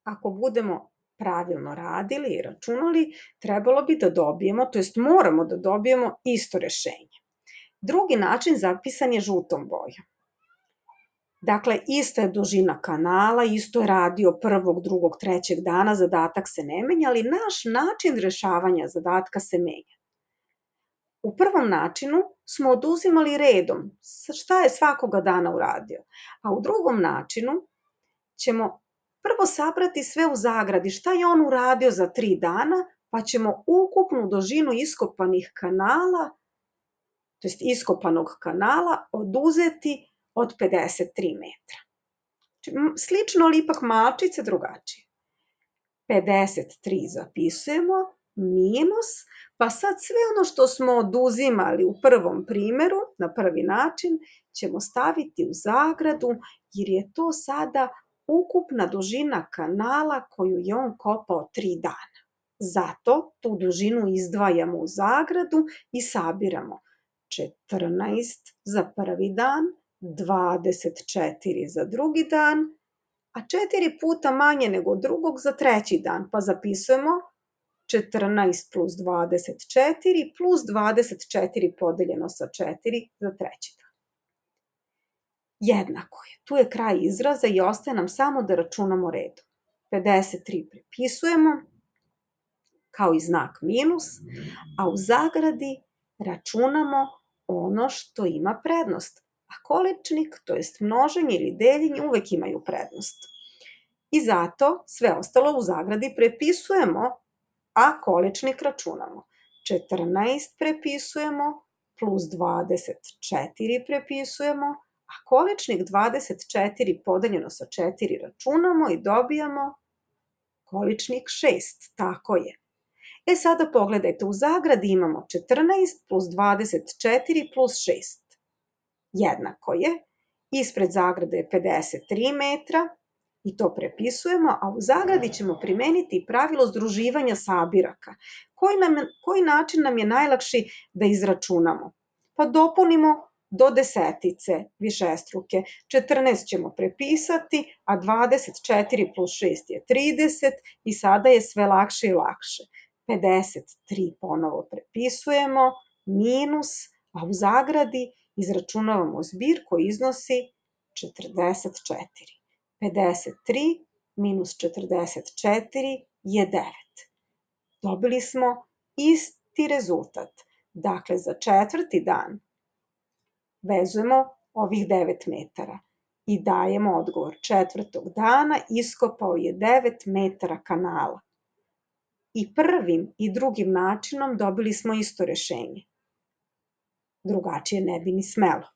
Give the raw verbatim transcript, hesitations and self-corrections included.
ako budemo pravilno radili i računali, trebalo bi da dobijemo, to jest moramo da dobijemo isto rešenje. Drugi način zapisan je žutom bojom. Dakle, ista je dužina kanala, isto je radio prvog, drugog, trećeg dana, zadatak se ne menja, ali naš način rešavanja zadatka se menja. U prvom načinu smo oduzimali redom šta je svakoga dana uradio, a u drugom načinu ćemo prvo sabrati sve u zagradi šta je on uradio za tri dana, pa ćemo ukupnu dužinu iskopanih kanala, to jest iskopanog kanala, oduzeti od pedeset tri metra. Slično, ali ipak malčice drugačije. pedeset tri zapisujemo, minus, pa sad sve ono što smo oduzimali u prvom primeru, na prvi način, ćemo staviti u zagradu, jer je to sada ukupna dužina kanala koju je on kopao tri dana. Zato tu dužinu izdvajamo u zagradu i sabiramo četrnaest za prvi dan, dvadeset četiri za drugi dan, a četiri puta manje nego drugog za treći dan, pa zapisujemo četrnaest plus dvadeset četiri plus dvadeset četiri podeljeno sa četiri za treći dan. Jednako je. Tu je kraj izraza i ostaje nam samo da računamo redom. pedeset tri prepisujemo kao i znak minus, a u zagradi računamo ono što ima prednost. A količnik, to jest množenje ili deljenje, uvek imaju prednost. I zato sve ostalo u zagradi prepisujemo, a količnik računamo. četrnaest prepisujemo, plus dvadeset četiri prepisujemo, a količnik dvadeset četiri podeljeno sa četiri računamo i dobijamo količnik šest, tako je. E sada pogledajte, u zagradi imamo četrnaest plus dvadeset četiri plus šest. Jednako je, ispred zagrade je pedeset tri metra i to prepisujemo, a u zagradi ćemo primeniti pravilo združivanja sabiraka. Koji, nam, koji način nam je najlakši da izračunamo? Pa dopunimo do desetice višestruke. četrnaest ćemo prepisati, a dvadeset četiri plus šest je trideset i sada je sve lakše i lakše. pedeset tri ponovo prepisujemo, minus, a u zagradi izračunavamo zbir koji iznosi četrdeset četiri. pedeset tri minus četrdeset četiri je devet. Dobili smo isti rezultat. Dakle, za četvrti dan vezujemo ovih devet metara i dajemo odgovor. Četvrtog dana iskopao je devet metara kanala. I prvim i drugim načinom dobili smo isto rešenje. Drugačije ne bi ni smelo.